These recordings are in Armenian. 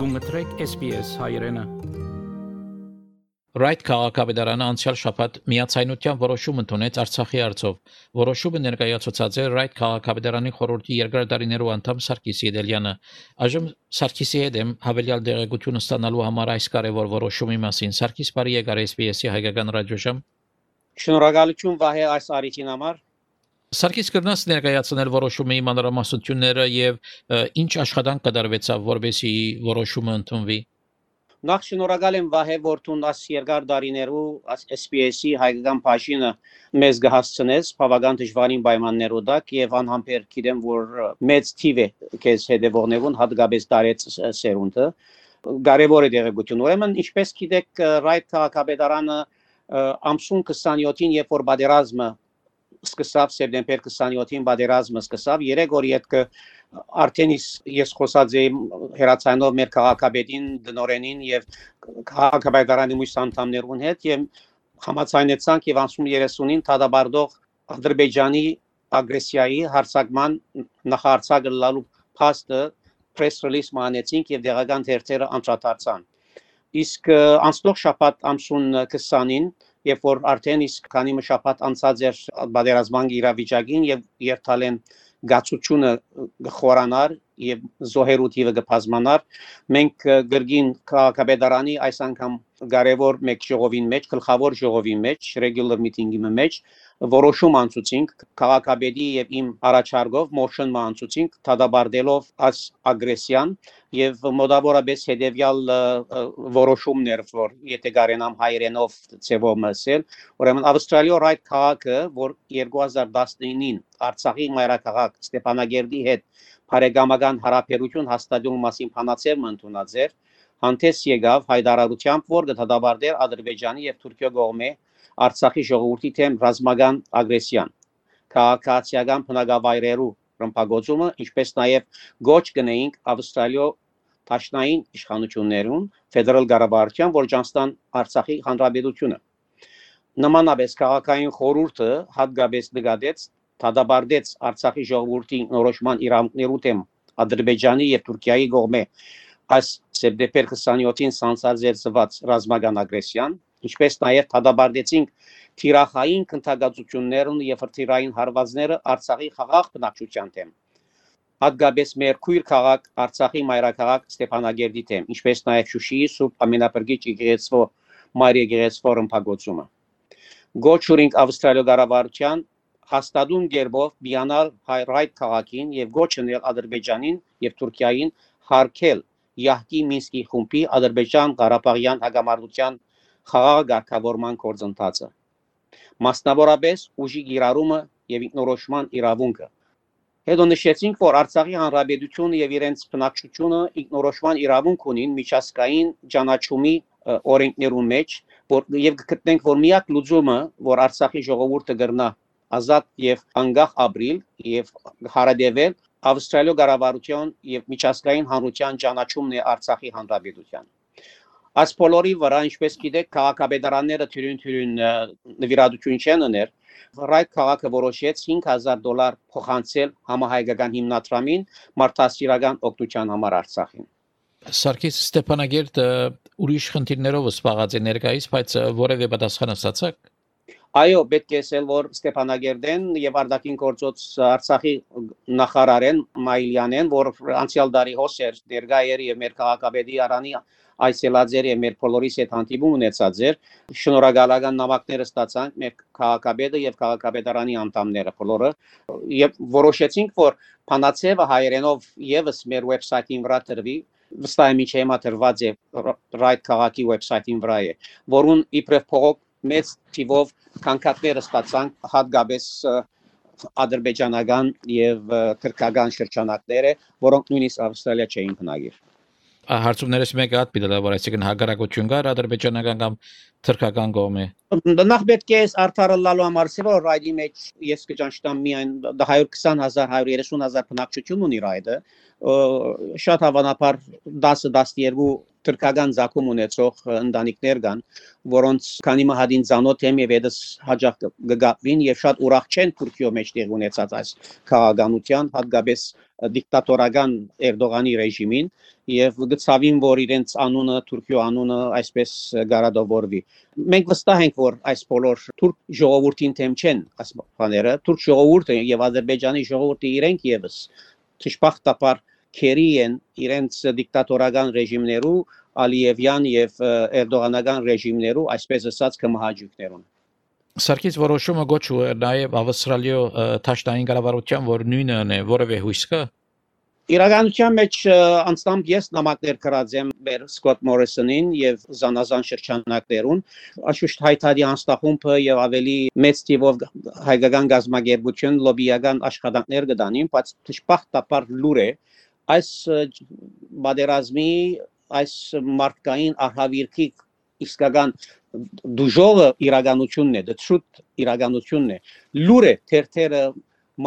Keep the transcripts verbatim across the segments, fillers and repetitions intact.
Գումտրեք S B S հայրենը։ Right քաղաքապետարանը անցյալ շաբաթ միացայնության որոշում ընդունեց Արցախի հարցով։ Որոշումը ներկայացուցած է Right քաղաքապետարանի խորհրդի երկրադարիներու անդամ Սարգիս Եդելյանը։ Այժմ Սարգիսի հետ եմ հավելյալ դեղեցություն ստանալու համար այս կարևոր որոշումի մասին։ Սարգիս, բարի եկար S B S-ի հայկական ռադիոժամ։ Շնորհակալություն Վահե այս արիքին համար։ Սարգիս կրնաս ներկայացնել որոշումի մանրամասնությունները եւ ինչ աշխատանք կդարվեցավ, որբեսի որոշումը ընդունվի։ Նախ շնորհակալ եմ Վահե, որ դու աս երկար դարիներու S B S-ի հայկական բաժինը մեզ գահացնես բավական դժվարին պայմաններով դակ եւ անհամբեր գիտեմ, որ մեծ թիվ է քեզ հետևողներուն հատկապես դարեց սերունդը կարևոր է դեղեցություն։ Ուրեմն ինչպես գիտեք, Right քաղաքապետարանը ամսուն քսանյոթին երբ որ բادرազմը սկսավ սեպտեմբեր քսանյոթին բادرազմը սկսավ երեք օր յետք արդեն ես խոսած եմ հերացանով մեր քաղաքապետին դնորենին եւ քաղաքապետարանի մյուս անդամներուն հետ եւ համաձայնեցանք եւ ամսուն երեսունին դադարդող Ադրբեջանի ագրեսիայի հարձակման նախարարցակը լալու փաստը press release մանեցինք եւ դեղական թերթերը անդրադարձան իսկ անցնող շաբաթ ամսուն քսանին երբ որ արդեն իսկ քանի շաբաթ անցած էր բادرազման իրավիճակին եւ երթալեն գացությունը խորանար եւ զոհերութիվը գբազմանար մենք գրգին քաղաքապետարանի այս անգամ կարևոր մեկ ժողովին մեջ գլխավոր ժողովի մեջ regular meeting-ի մեջ որոշում անցուցինք քաղաքապետի եւ իմ առաջարկով motion անցուցինք դադարելով այս ագրեսիան եւ մոտավորապես հետեւյալ որոշումներ որ եթե գարենամ հայրենով ծեվով մսել ուրեմն Ավստրալիա Right քաղաքը որ երկու հազար տասնինին Արցախի մայրաքաղաք Ստեփանագերդի հետ բարեկամական հարաբերություն հաստատելու մասին փանացել ընդունած էր հանդես եկավ հայտարարությամբ որ դադարդեր Ադրբեջանի եւ Թուրքիա կողմէ Արցախի ժողովրդի թեմ ռազմական ագրեսիան քաղաքացիական բնակավայրերու ռմբակոծումը ինչպես նաև գոչ կնեինք Ավստրալիա Տաշնային իշխանություններուն ֆեդերալ կառավարության որ ճանստան Արցախի հանրապետությունը նմանապես քաղաքային խորհուրդը հատկապես նկատեց դադարդեց Արցախի ժողովրդի նորոշման իրավունքներու թեմ Ադրբեջանի եւ Թուրքիայի կողմէ այս սեպտեմբեր քսանյոթին սանձազերծված ռազմական ագրեսիան ինչպես նաև դադարեցինք թիրախային քննադատություններն եւ հրթիռային հարվածները Արցախի խաղաղ բնակչության թեմ հատկապես մեր քույր քաղաք Արցախի մայրաքաղաք Ստեփանագերդի թեմ ինչպես նաև Շուշիի Սուրբ Ամենապրկիչ եկեղեցու Մարիա եկեղեցու ռմբակոծումը գոչուրինք Ավստրալիա կառավարության հաստատուն գերբով բիանալ Right քաղաքին եւ գոչնել Ադրբեջանին եւ Թուրքիային հարկել Յահկի Մինսկի խումբի Ադրբեջան Ղարաբաղյան հակամարտության խաղաղ ղեկավարման գործընթացը մասնավորապես ուժի գիրառումը եւ ինքնորոշման իրավունքը հետո նշեցինք որ Արցախի հանրապետությունը եւ իրենց բնակչությունը ինքնորոշման իրավունք ունին միջազգային ճանաչումի օրենքներու մեջ որ եւ գտնենք որ միակ լուծումը որ Արցախի ժողովուրդը կգրնա ազատ եւ անկախ ապրիլ եւ հարադեվել Ավստրալիա կառավարության եւ միջազգային հանրության ճանաչումն է Արցախի հանրապետության Այս բոլորի վրա ինչպես գիտեք քաղաքապետարանները թյուրին-թյուրին նվիրատություն չեն ուներ Right քաղաքը որոշեց հինգ հազար դոլար փոխանցել համահայկական հիմնադրամին մարդասիրական օգնության համար Արցախին Սարգիս Ստեփանագերդը ուրիշ խնդիրներով զբաղած է ներկայիս բայց որևէ պատասխան ստացաք Այո, պետք է ասել, որ Ստեփանագերդեն եւ Արտաքին գործոց Արցախի նախարարեն Մայլյանեն, որ անցյալ տարի հոսեր ներկա էր եւ մեր քաղաքապետի արանի այսելաձեր եւ մեր բոլորիս հետ հանդիպում ունեցած էր, շնորհակալական նամակները ստացանք մեր քաղաքապետը եւ քաղաքապետարանի անդամները բոլորը եւ որոշեցինք, որ Փանացեվը հայերենով եւս մեր վեբսայթին վրա տրվի, վստահ եմ ինչի համատրված է Right քաղաքի վեբսայթին վրա է, որուն իբրև փողոք մեծ թիվով կանկատները ստացանք հատկապես ադրբեջանական եւ թուրքական շրջանակները, որոնք նույնիսկ Ավստրալիա չէին բնակիր։ Հարցումներս մեկը հատ պիտի լավ այսինքն հակառակություն կար ադրբեջանական կամ թուրքական կողմի։ Նախ պետք է արդարը լալու համար սեվոր ռայդի մեջ ես կճանչտամ միայն հարյուր քսան հազար հարյուր երեսուն հազար բնակչություն ունի ռայդը շատ հավանաբար դասը դասերու Թրքական ցակում ունեցող ընտանիքներ կան, որոնց քանի մահադին ցանոթ եմ եւ այդս հաջող կգապվին եւ շատ ուրախ չեն Թուրքիո մեջ տեղ ունեցած այս քաղաքականության, հատկապես դիկտատորական Էրդողանի ռեժիմին եւ գծավին, որ իրենց անունը Թուրքիո անունը այսպես գարադովորվի։ Մենք վստահ ենք, որ այս բոլոր թուրք ժողովրդին թեմ չեն այս բաները, թուրք ժողովուրդը եւ Ադրբեջանի ժողովուրդը իրենք եւս ճշմարտաբար քերի են իրենց դիկտատորական ռեժիմներու, Ալիևյան եւ Էրդողանական ռեժիմներու, այսպես ասած, կմահաճույքներուն։ Սարգիս որոշումը գոչու է նաև Ավստրալիո Թաշտային կառավարության, որ նույնն է, որևէ հույս կա։ Իրականության մեջ անցնամբ ես նամակներ գրած եմ մեր Սկոտ Մորիսոնին եւ զանազան շրջանակներուն, աշուշտ հայտարարի անստախումբը եւ ավելի մեծ թիվով հայկական գազագերբություն լոբիական աշխատանքներ կդանին, բայց ճշմարտաբար լուր է այս բادرազմի այս մարդկային արհավիրքի իսկական դուժողը իրականությունն է, դժուտ իրականությունն է։ Լուր է թերթերը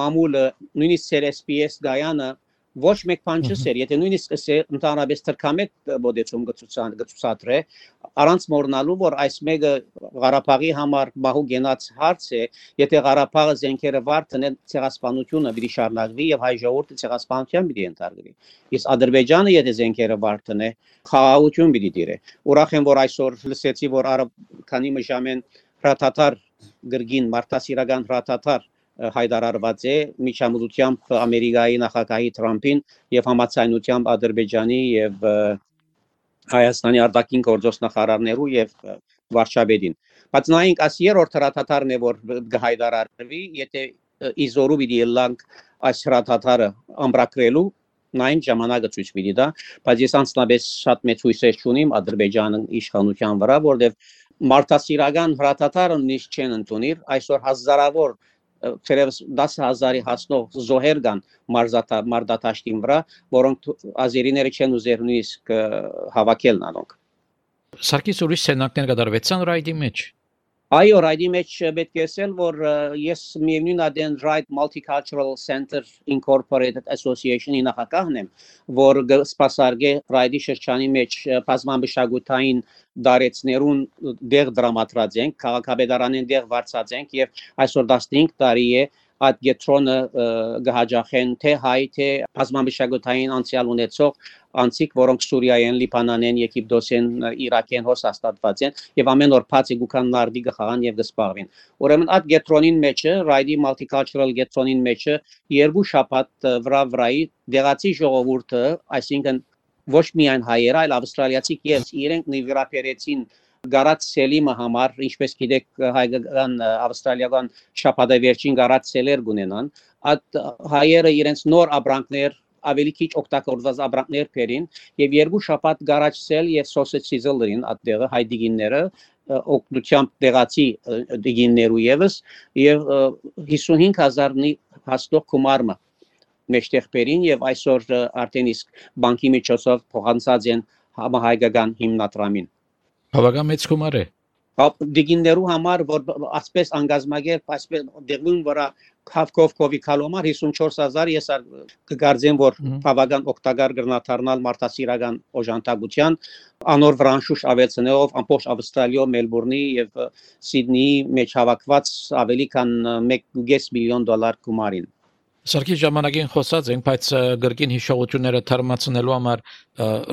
մամուլը նույնիսկ S P S գայանը ոչ մեկ բան չսեր, եթե նույնիսկ ընդհանրապես թրքամետ բոդեցում գծուցադրե, առանց մոռնալու, որ այս մեկը Ղարաբաղի համար մահու գենաց հարց է, եթե Ղարաբաղը զենքերը վարդն ցեղասպանությունը պիտի շարունակվի եւ հայ ժողովուրդը ցեղասպանության պիտի ենթարկվի։ Իսկ Ադրբեջանը եթե զենքերը վարդն է, խաղաղություն պիտի դիրե։ Ուրախ եմ, որ այսօր լսեցի, որ քանի մժամեն հրաթաթար գրգին մարտահրավերական հրաթաթար հայտարարված է միջամտությամբ Ամերիկայի նախագահի Թրամփին եւ համաձայնությամբ Ադրբեջանի եւ Հայաստանի արտաքին գործոս նախարարներու եւ վարչապետին։ Բայց նայենք այս երրորդ հրաթաթարն է, որ կհայտարարվի, եթե իզորու պիտի լանք այս հրաթաթարը ամրագրելու նայենք ժամանակը ցույց պիտի տա, բայց ես անձնապես շատ մեծ հույսեր չունիմ Ադրբեջանի իշխանության վրա, որովհետեւ մարտահրավերական հրաթաթարը նիշ չեն ընդունիր, այսօր հազարավոր Թերևս դաս հազարի հասնող զոհեր կան մարտադաշտին վրա, որոնք ազերիները չեն ուզեր նույնիսկ հավաքել նանոնք։ Սարգիս ուրիշ սենակներ կդարվեցան ռայդի մեջ։ Այո, ռայդի մեջ պետք է ասել, որ ես միևնույն adեն Right Multicultural Center Incorporated Association-ի նախագահն եմ, որ սպասարկե ռայդի շրջանի մեջ բազմամշակութային դարեցներուն դեղ դրամատրած ենք, քաղաքապետարանին դեղ վարձած ենք եւ այսօր տասնհինգ տարի է այդ գետրոնը գահաջախեն թե հայ թե բազմամշակութային անցյալ ունեցող անցիկ, որոնք Սուրիայեն, Լիբանանեն, Եգիպտոսեն, Իրաքեն հոստատված են եւ ամեն օր բացի գուքան նարդի գխաղան եւ գսպաղվին։ Ուրեմն այդ գետրոնին մեջը, Ռայդի Multicultural գետրոնին մեջը երկու շաբաթ վրա վրայի դեղացի ժողովուրդը, այսինքն ոչ միայն հայերը, այլ ավստրալիացի եւ իրենք նվիրապերեցին Գարած Սելիմը համար, ինչպես գիտեք, հայկական ավստրալիական շաբաթավերջին Գարած Սելեր գունենան, այդ հայերը իրենց նոր ապրանքներ ավելի քիչ օգտագործված ապրանքներ բերին եւ երկու շաբաթ Գարած Սել եւ Sausage Sizzle-ին այդտեղը հայ դիգինները օգնությամբ տեղացի դիգիններու եւս եւ հիսունհինգ հազարի հաստող գումարը մեջտեղ բերին եւ այսօր արդեն իսկ բանկի միջոցով փոխանցած են համահայկական հիմնադրամին։ Բավական մեծ գումար է։ Դիգիններու համար, որ ասպես անգազմագեր, այսպես դեղուն վրա քավկով կովի կալոմար հիսունչորս հազար ես կգարձեմ, որ բավական օգտակար գրնաթարնալ մարտահրավերական օժանդակության անոր վրանշուշ ավելցնելով ամբողջ Ավստրալիո, Մելբուրնի եւ Սիդնեի մեջ հավաքված ավելի քան մեկ կես միլիոն դոլար գումարին։ Սարգիս ժամանակին խոսած ենք, բայց գրքին հիշողությունները թարմացնելու համար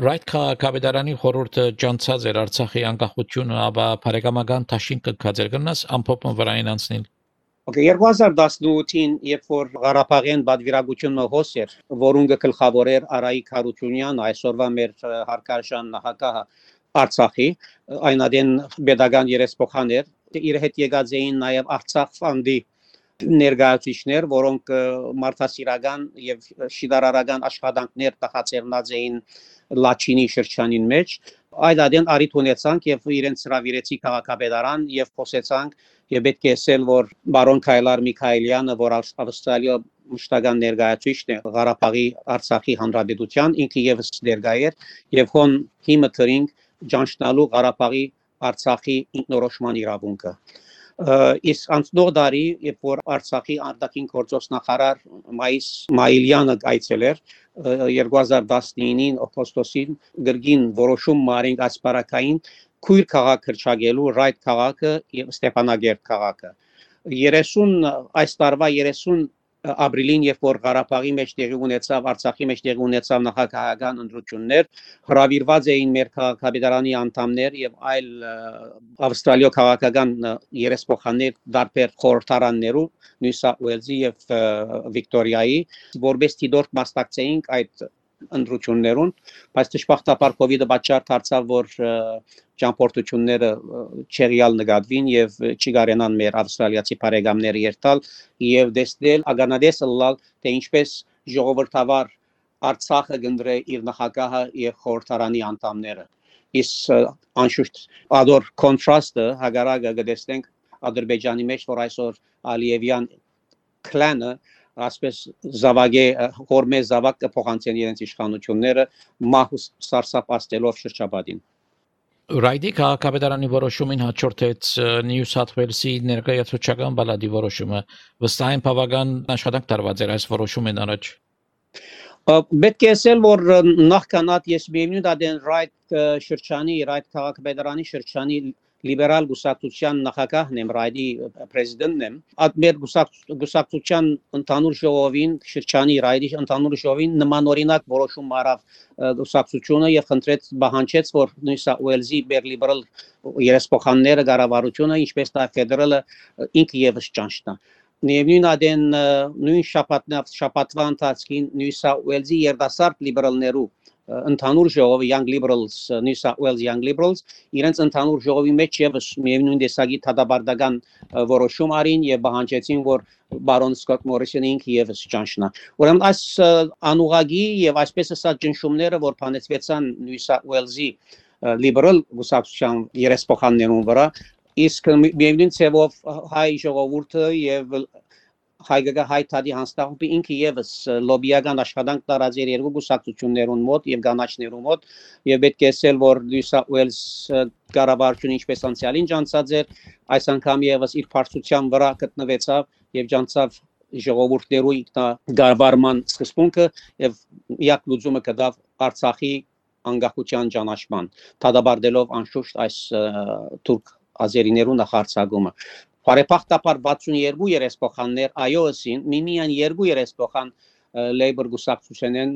Right քաղաքապետարանի խորհուրդը ջանցած էր Արցախի անկախությունը, ապա բարեկամական դաշինք կգացեր գնաս ամփոփում վրային անցնել։ Okay, երկու հազար տասնութին, երբ որ Ղարաբաղյան բادرագությունը հոս էր, որուն գլխավորեր Արայիկ Հարությունյանը, այսօրվա մեր հարկարժան նախագահը Արցախի, այնադեն pedagogan երեսփոխան էր, իր հետ եկած էին նաև Արցախ ֆանդի ներկայացուցիչներ, որոնք մարտահրավերական եւ շիդարարական աշխատանքներ տխացերնած էին Լաչինի շրջանին մեջ, այդ adեն արիթ ունեցանք եւ իրենց հրավիրեցի քաղաքապետարան եւ խոսեցանք եւ պետք է ասել, որ բարոն Քայլար Միքայելյանը, որ Ավստրալիա մշտական ներկայացուցիչն է Ղարաբաղի Արցախի հանրապետության, ինքը եւս ներկայ էր եւ հոն հիմը թրինգ ջանչնալու Ղարաբաղի Արցախի ինքնորոշման իրավունքը։ Իսկ անցնող տարի, երբ որ Արցախի արտաքին գործոս նախարար Մայիս Մայիլյանը այցել էր երկու հազար տասնինին օգոստոսին գրգին որոշում մարենք ասպարակային քույր քաղաք հրճագելու Ռայդ քաղաքը եւ Ստեփանագերտ քաղաքը երեսուն այս տարվա երեսուն ապրիլին երբ որ Ղարաբաղի մեջ տեղի ունեցավ Արցախի մեջ տեղի ունեցավ նախագահական ընտրություններ հրավիրված էին մեր քաղաքապետարանի անդամներ եւ այլ ավստրալիա քաղաքական երեսփոխաններ դարբեր խորհրդարաններու Նյու Սաութ Ուելզի եւ Վիկտորիայի որպես դիտորդ մասնակցեինք այդ ընտրություններուն բայց դժբախտաբար կոവിഡ്-ը պատճառ դարձավ որ ճամփորդությունները չեղյալ նկատվին եւ չի կարենան մեր ավստրալիացի բարեկամները երթալ եւ դեսնել ագանադես լալ թե ինչպես ժողովրդավար Արցախը գնդրե իր նախագահը եւ խորհրդարանի անդամները իսկ անշուշտ ադոր կոնտրաստը հագարակը գտեսնենք Ադրբեջանի մեջ որ այսօր Ալիևյան կլանը ասպես զավակե հորմե զավակ կփոխանցեն իրենց իշխանությունները մահուս սարսափաստելով շրջապատին Ռայդի քաղաքապետարանի որոշումին հաջորդեց Նյու Սաութ Ուելսի ներկայացուցչական բալադի որոշումը վստահ եմ բավական աշխատանք տարված էր այս որոշումին առաջ Պետք է ասել որ նախքանատ ես միևնույն դեն Ռայդ շրջանի Ռայդ քաղաքապետարանի շրջանի լիբերալ գուսակցության նախագահն եմ Ռայդի պրեզիդենտն եմ այդ մեր գուսակցության ընդհանուր ժողովին շրջանի Ռայդի ընդհանուր ժողովին նմանօրինակ որոշում արավ գուսակցությունը եւ խնդրեց բանջեց որ Նյու Սաութ Ուելզի մեր լիբերալ երեսփոխանները կառավարությունը ինչպես դա ֆեդերալը ինքը եւս ճանչնա Միևնույն adեն նույն շաբաթնավ շաբաթվա ընթացքին Նյու Սաութ Ուելզի երդասարտ լիբերալներու ընդհանուր ժողովը Young Liberals New South Wales Young Liberals իրենց ընդհանուր ժողովի մեջ եւս միևնույն տեսակի թադաբարդական որոշում արին եւ բանջեցին որ բարոն Սկոտ Մորիսոնը ինքը եւս ճանչնա ուրեմն այս անուղագի եւ այսպես ասած ճնշումները որ փանեցվեցան New South Wales-ի լիբերալ գուսակցության երեսփոխաններուն վրա իսկ միևնույն ցեվով հայ ժողովուրդը եւ հայկական հայ թադի հանձնախումբը ինքը եւս լոբիական աշխատանք տարած էր երկու գուսակցություններուն մոտ եւ կանաչներուն մոտ եւ պետք է ասել որ Նյու Սաութ Ուելս կառավարությունը ինչպես անցյալին ջանցած էր այս անգամ եւս իր բարձրության վրա գտնվեցավ եւ ջանցավ ժողովուրդներու ինքնագարվարման սկզբունքը եւ միակ լուծումը կդավ Արցախի անկախության ճանաչման թադաբարդելով անշուշտ այս թուրք ազերիներու նախարարցակումը Բարեփոխտապար վաթսունյերկու երեսփոխաններ iOS-ին միմիան երկու երեսփոխան Labour գուսակցությունեն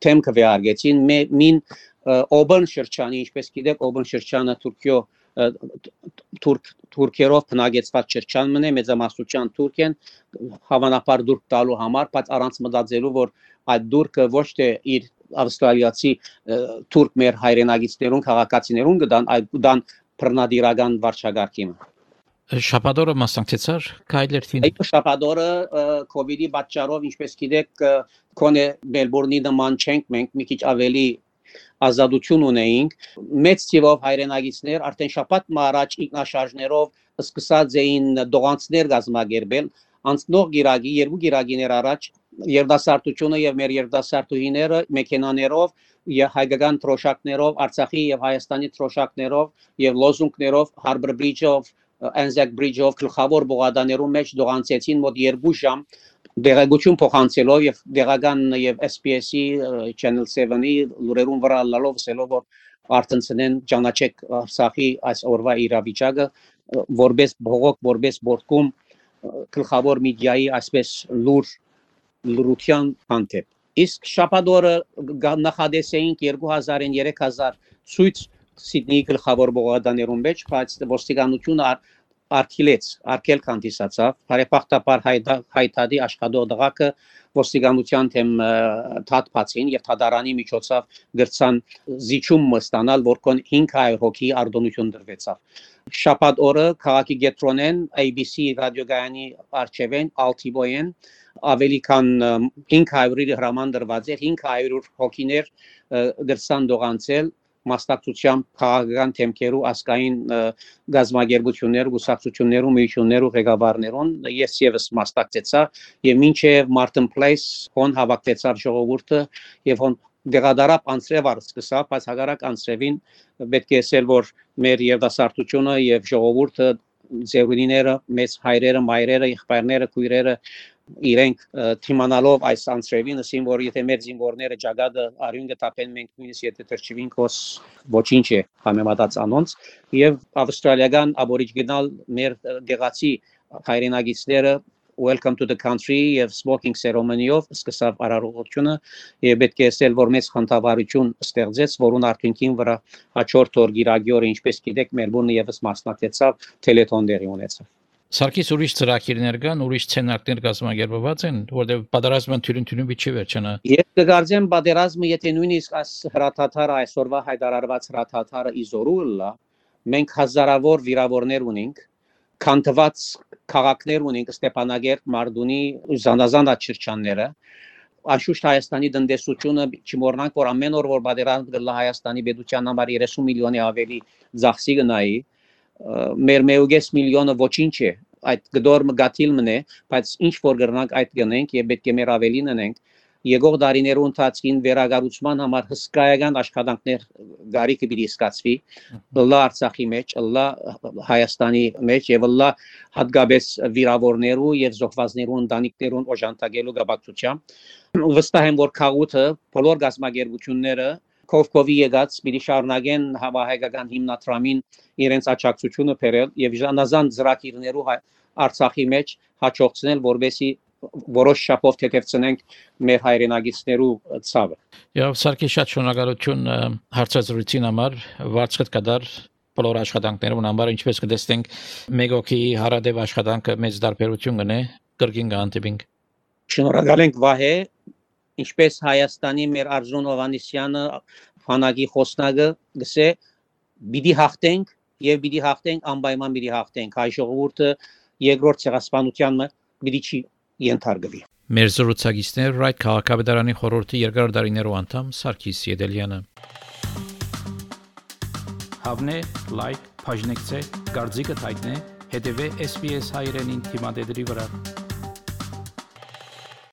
թեմ կվեարգեցին մին Օբան շրջանի ինչպես գիտեք Օբան շրջանը Թուրքիո թուրք թուրքերով բնագեցված շրջան մնե մեծամասնության թուրքեն հավանաբար դուրք տալու համար բայց առանց մտածելու որ այդ դուրքը ոչ թե իր ավստրալիացի թուրք մեր հայրենագիցներուն քաղաքացիներուն կդան այլ կդան բռնադիրական վարչագարկի Շաբաթօրը մասնակցեցար Քայլերթին Այդ շաբաթօրը կոവിഡ്ի պատճառով ինչպես գիտեք կոնե Մելբուրնի նման չենք մենք մի քիչ ավելի ազատություն ունեինք մեծ թիվով հայրենագիցներ արդեն շաբաթ առաջ ինքնաշարժներով սկսած էին դողանցներ գազմագերբել անցնող գիրագի երկու գիրագիներ առաջ երդասարտությունը եւ մեր երդասարտուհիները մեքենաներով եւ հայկական թրոշակներով Արցախի եւ Հայաստանի թրոշակներով եւ լոզունգներով Harbour Bridge-ով Anzac Bridge-ով գլխավոր բողադաներու մեջ դողանցեցին մոտ երկու ժամ դեղագություն փոխանցելով եւ դեղական եւ S B S-ի Channel seven-ի լուրերուն վրա լալով սելով որ արտնցնեն ճանաչեք Արցախի այս օրվա իրավիճակը որպես բողոք որպես բորկում գլխավոր մեդիայի այսպես լուր լրության հանդեպ իսկ շաբաթօրը նախադեսեինք երկու հազարին երեք հազար ցույց Սիդնեի գլխավոր բողոքականներուն մեջ բայց ոստիկանությունը արկելեց արկել կանդիսացավ բարեփոխտապար հայտարարի աշխատող դղակը ոստիկանության թեմ թաթփացին եւ թադարանի միջոցով գրցան զիջում ստանալ որքան հինգ հարյուր հոգի արտոնություն դրվեցավ շաբաթ օրը քաղաքի գետրոնեն A B C ռադիոգայանի արչեվեն Altiboyen ավելի քան հինգ հարյուր հրամանրված էր հինգ հարյուր հոգիներ գրցան դողանցել մասնակցությամբ քաղաքական թեմքերու ասկային գազագերբություններ, գուսակցություններու, միություններու ղեկավարներուն ես եւս մասնակցեցա եւ մինչեւ Martin Place հոն հավաքվեցավ ժողովուրդը եւ հոն դեղադարապ անցրև արսկսա, բայց հագարակ անցրևին պետք է ասել որ մեր երդասարտությունը եւ ժողովուրդը ձերունիները, մեծ հայրերը, մայրերը, եղբայրները, քույրերը իրենք թիմանալով այս անձրևին, ասին որ եթե մեր զինվորները ճակատը արյուն կտապեն, մենք նույնիսկ եթե թրջվենք, ոս ոչինչ է համեմատած անոնց, եւ ավստրալիական աբորիջինալ մեր դեղացի հայրենագիցները welcome to the country եւ smoking ceremony-ով սկսավ արարողությունը եւ պետք է ասել որ մեծ խնդավառություն ստեղծեց որուն արդյունքին վրա հաջորդ օր գիրագյորը ինչպես գիտեք Մելբուրնը եւս մասնակցեցավ տելեթոն դերի ունեցավ Սարգիս ուրիշ ծրագիրներ կան, ուրիշ սցենարներ կազմակերպված են, որտեղ պատերազմը թյուրին-թյուրին չի վերջանա։ Ես կգարձեմ պատերազմը, եթե նույնիսկ այս հրաթաթարը այսօրվա հայտարարված հրաթաթարը իզորուլա, մենք հազարավոր վիրավորներ ունենք, քանթված քաղաքներ ունենք Ստեփանագերտ, Մարդունի, Զանազան աչրջանները, Անշուշտ Հայաստանի տնտեսությունը չմոռնանք, որ ամեն օր որ պատերազմ կլա Հայաստանի պետության համար երեսուն միլիոնի ավելի ծախսի գնայի, մեր մեկ միլիոնը ոչինչ է, այդ գդոր մգաթիլ մնե, բայց ինչ որ գրնանք այդ գնենք եւ պետք է մեր ավելին անենք, եկող դարիներու ընթացքին վերագառուցման համար հսկայական աշխատանքներ գարիկը պիտի սկսվի, լա Արցախի մեջ, լա Հայաստանի մեջ եւ լա հատկապես վիրավորներու եւ զոհվածներու ընտանիքներուն օժանդակելու գաբակցությամբ վստահ եմ որ քաղուտը բոլոր գազագերբությունները Կովկովի եկած պիտի շարունակեն հավահայկական հիմնադրամին իրենց աջակցությունը բերել եւ ժանազան ծրագիրներու Արցախի մեջ հաջողցնել որբեսի որոշ շապով թեթևցնենք մեր հայրենագիցներու ցավը։ Եվ Սարգիս շատ շնորհակալություն հարցազրույցին համար, վարձկտ կդար բոլոր աշխատանքներուն համար, ինչպես կտեսնենք մեկ օքի հարադեպ աշխատանքը մեծ դարբերություն կնե, կրկին կհանդիպենք։ Շնորհակալ ենք Վահե, ինչպես Հայաստանի մեր Արզրուն Հովհաննիսյանը Ֆանագի խոսնակը գսե պիտի հաղթենք եւ պիտի հաղթենք անպայման պիտի հաղթենք հայ ժողովուրդը երկրորդ ցեղասպանությանը պիտի չի ենթարկվի Մեր զրուցակիցներ Ռայթ քաղաքապետարանի խորհրդի երկար դարիներու անդամ Սարգիս Եդելյանը Հավնե լայք բաժնեկցե դարձիկը թայտնե հետեւե S B S հայրենին թիմադեդի վրա